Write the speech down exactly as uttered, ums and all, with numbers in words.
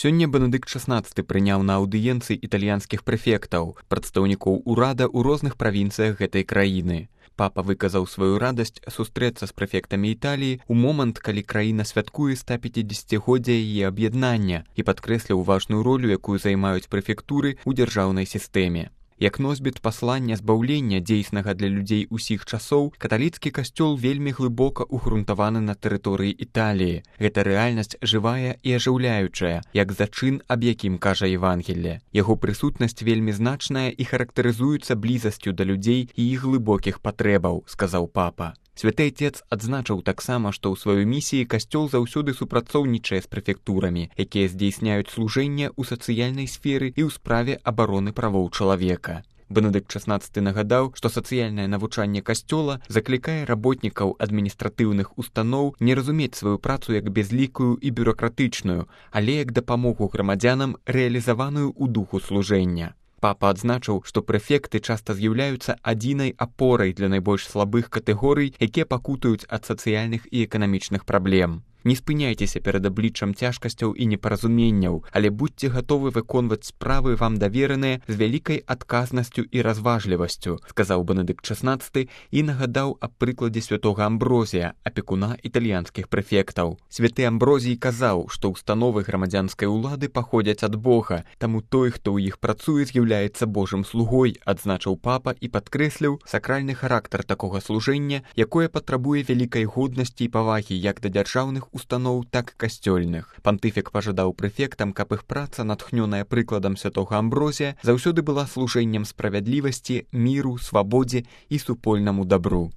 Сёння Бенедыкт шаснаццаты прыняў на аўдыенцыі італьянскіх прэфектаў, прадстаўнікоў урада ў розных правінцыях гэтай краіны. Папа выказаў сваю радасць сустрэцца з прэфектамі Італіі ў момант, калі краіна святкуе стапяцідзесяцігоддзе яе аб'яднання і падкрэсліў важную ролю, якую займаюць прэфектуры ў дзяржаўнай сістэме. Як носьбіт паслання збаўлення, дзейснага для людзей усіх часоў, каталіцкі касцёл вельмі глыбока ўгрунтаваны на тэрыторыі Італіі. Гэта рэальнасць жывая і ажыўляючая, як зачын, аб якім кажа Евангелле. Яго прысутнасць вельмі значная і характарызуецца блізасцю да людзей і іх глыбокіх патрэбаў, сказаў папа. Святы Отец адзначыў таксама, што ў сваёй місіі касцёл заўсёды супрацоўнічае з прэфектурамі, якія здзейсняюць служэнне ў сацыяльнай сферы і ў справе абароны правоў чалавека. Бенедыкт шаснаццаты нагадаў, што сацыяльнае навучанне касцёла заклікае работнікаў адміністратыўных устаноў не разумець сваю працу як бязлікую і бюракратычную, але як дапамогу грамадзянам, рэалізаваную ў духу служэння. Папа адзначыў, што прэфекты часта з'яўляюцца адзінай апорай для найбольш слабых катэгорый, якія пакутаюць ад сацыяльных і эканамічных праблем. Не спыняйцеся перад абліччам цяжкасцяў і непаразуменняў, але будьце гатовы выконваць справы вам давераныя з вялікай адказнасцю і разважлівасцю, сказаў Бенедыкт шаснаццаты і нагадаў аб прыкладзе святога Амброзія, апекуна італьянскіх прэфектаў. Святы Амброзій казаў, што ўстановы грамадзянскай улады паходзяць ад Бога, таму той, хто ў іх працуе, з'яўляецца Божым слугой, адзначыў папа і падкрэсліў сакральны характар такога служэння, якое патрабуе вялікай годнасці і павагі як да дзяржаўных устаноў, так і касцёльных. Пантыфік пажадаў прэфектам, каб іх праца, натхнёная прыкладам святога Амброзія, заўсёды была служэннем справядлівасці, міру, свабодзе і супольнаму дабру.